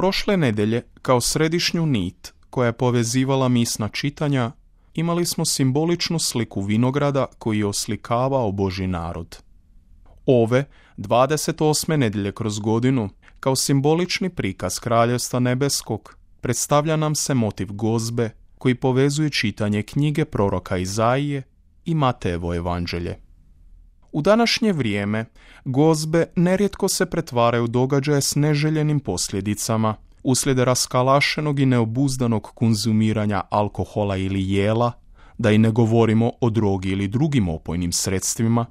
Prošle nedjelje, kao središnju nit koja je povezivala misna čitanja, imali smo simboličnu sliku vinograda koji je oslikavao Božji narod. Ove 28. nedjelje kroz godinu, kao simbolični prikaz Kraljevstva nebeskog, predstavlja nam se motiv gozbe koji povezuje čitanje knjige proroka Izaije i Matejevo evanđelje. U današnje vrijeme gozbe nerijetko se pretvaraju u događaje s neželjenim posljedicama uslijed raskalašenog i neobuzdanog konzumiranja alkohola ili jela, da i ne govorimo o drogi ili drugim opojnim sredstvima,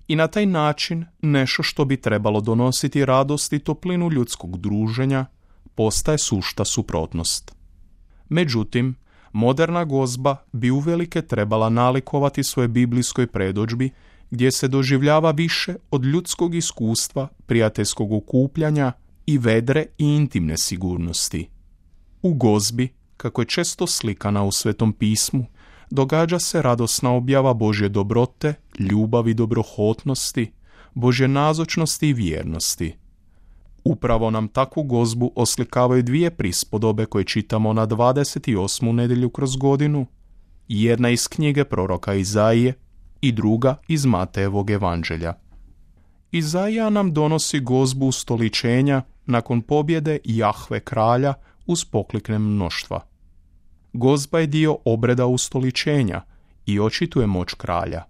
i na taj način nešto što bi trebalo donositi radost i toplinu ljudskog druženja postaje sušta suprotnost. Međutim, moderna gozba bi uvelike trebala nalikovati svoje biblijskoj predodžbi gdje se doživljava više od ljudskog iskustva, prijateljskog okupljanja i vedre i intimne sigurnosti. U gozbi, kako je često slikana u Svetom pismu, događa se radosna objava Božje dobrote, ljubavi, dobrohotnosti, Božje nazočnosti i vjernosti. Upravo nam takvu gozbu oslikavaju dvije prispodobe koje čitamo na 28. nedjelju kroz godinu, jedna iz knjige proroka Izaije i druga iz Matejevog evanđelja. Izaija nam donosi gozbu ustoličenja nakon pobjede Jahve kralja uz poklikne mnoštva. Gozba je dio obreda ustoličenja i očituje moć kralja.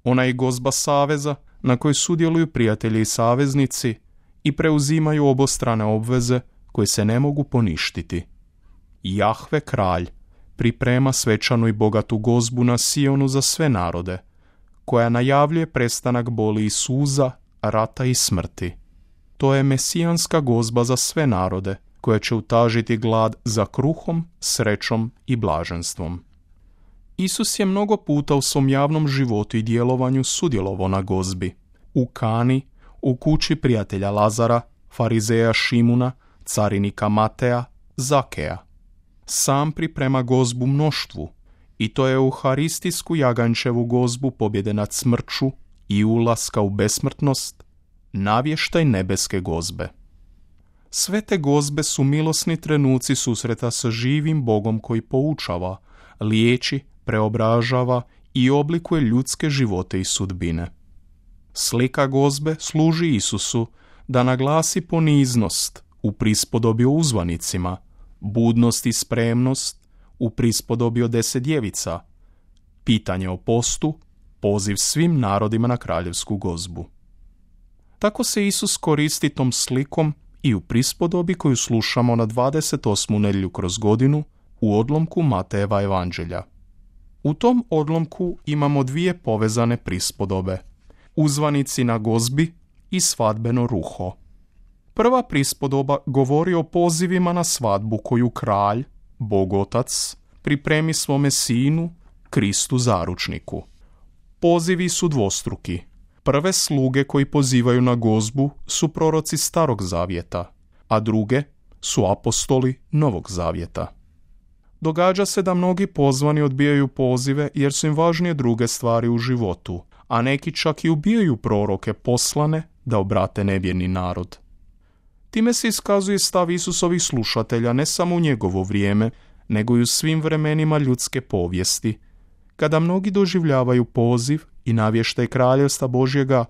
Ona je gozba saveza na kojoj sudjeluju prijatelji i saveznici i preuzimaju obostrane obveze koje se ne mogu poništiti. Jahve kralj priprema svečanu i bogatu gozbu na Sionu za sve narode, koja najavljuje prestanak boli i suza, rata i smrti. To je mesijanska gozba za sve narode, koja će utažiti glad za kruhom, srećom i blaženstvom. Isus je mnogo puta u svom javnom životu i djelovanju sudjelovao na gozbi. U Kani, u kući prijatelja Lazara, farizeja Šimuna, carinika Mateja, Zakeja. Sam priprema gozbu mnoštvu, i to je euharistijsku jagančevu gozbu pobjede nad smrću i ulaska u besmrtnost, navještaj nebeske gozbe. Sve te gozbe su milosni trenuci susreta sa živim Bogom koji poučava, liječi, preobražava i oblikuje ljudske živote i sudbine. Slika gozbe služi Isusu da naglasi poniznost u prispodobi o uzvanicima, budnost i spremnost u prispodobi o 10 djevica, pitanje o postu, poziv svim narodima na kraljevsku gozbu. Tako se Isus koristi tom slikom i u prispodobi koju slušamo na 28. nedjelju kroz godinu u odlomku Matejeva evanđelja. U tom odlomku imamo dvije povezane prispodobe, uzvanici na gozbi i svadbeno ruho. Prva prispodoba govori o pozivima na svadbu koju kralj, Bog Otac, pripremi svome sinu, Kristu zaručniku. Pozivi su dvostruki. Prve sluge koji pozivaju na gozbu su proroci Starog zavjeta, a druge su apostoli Novog zavjeta. Događa se da mnogi pozvani odbijaju pozive jer su im važnije druge stvari u životu, a neki čak i ubijaju proroke poslane da obrate nevjerni narod. Time se iskazuje stav Isusovih slušatelja ne samo u njegovo vrijeme, nego i u svim vremenima ljudske povijesti, kada mnogi doživljavaju poziv i navještaj kraljevstva Božjega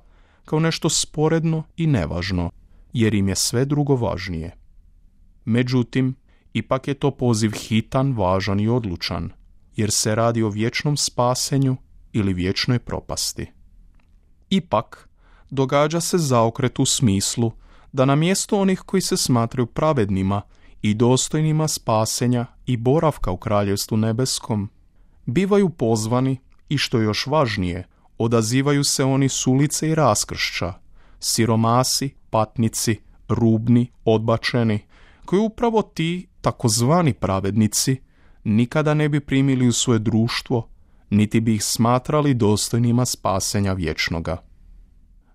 kao nešto sporedno i nevažno, jer im je sve drugo važnije. Međutim, ipak je to poziv hitan, važan i odlučan, jer se radi o vječnom spasenju ili vječnoj propasti. Ipak, događa se zaokret u smislu da na mjesto onih koji se smatraju pravednima i dostojnima spasenja i boravka u kraljevstvu nebeskom, bivaju pozvani i, što je još važnije, odazivaju se oni s ulice i raskršća, siromasi, patnici, rubni, odbačeni, koji upravo ti takozvani pravednici nikada ne bi primili u svoje društvo, niti bi ih smatrali dostojnima spasenja vječnoga.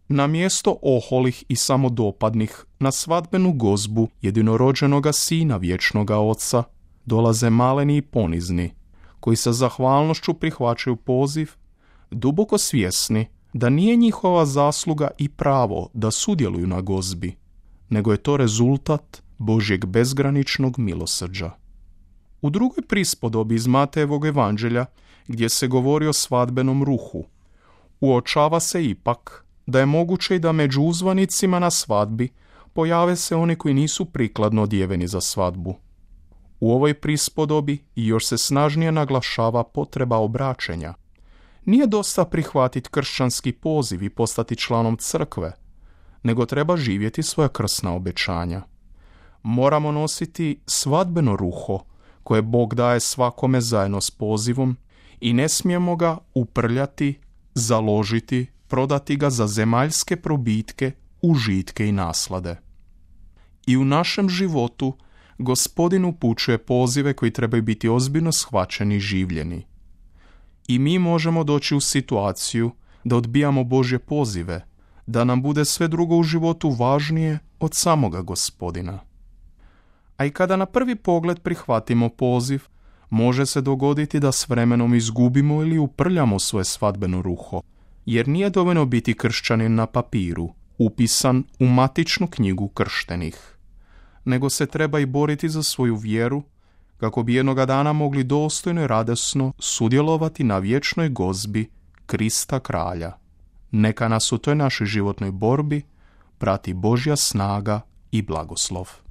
Na mjesto oholih i samodopadnih na svadbenu gozbu jedinorođenoga sina vječnoga Oca dolaze maleni i ponizni, koji sa zahvalnošću prihvaćaju poziv, duboko svjesni da nije njihova zasluga i pravo da sudjeluju na gozbi, nego je to rezultat Božjeg bezgraničnog milosrđa. U drugoj prispodobi iz Matejevog evanđelja, gdje se govori o svadbenom ruhu, uočava se ipak da je moguće i da među uzvanicima na svadbi pojave se oni koji nisu prikladno odjeveni za svadbu. U ovoj prispodobi još se snažnije naglašava potreba obraćenja. Nije dosta prihvatiti kršćanski poziv i postati članom crkve, nego treba živjeti svoja krsna obećanja. Moramo nositi svadbeno ruho koje Bog daje svakome zajedno s pozivom i ne smijemo ga uprljati, založiti, prodati ga za zemaljske probitke, užitke i naslade. I u našem životu Gospodin upućuje pozive koji trebaju biti ozbiljno shvaćeni i življeni. I mi možemo doći u situaciju da odbijamo Božje pozive, da nam bude sve drugo u životu važnije od samoga Gospodina. A i kada na prvi pogled prihvatimo poziv, može se dogoditi da s vremenom izgubimo ili uprljamo svoje svadbeno ruho, jer nije dovoljno biti kršćanin na papiru, upisan u matičnu knjigu krštenih, nego se treba i boriti za svoju vjeru, kako bi jednoga dana mogli dostojno i radosno sudjelovati na vječnoj gozbi Krista Kralja. Neka nas u toj našoj životnoj borbi prati Božja snaga i blagoslov.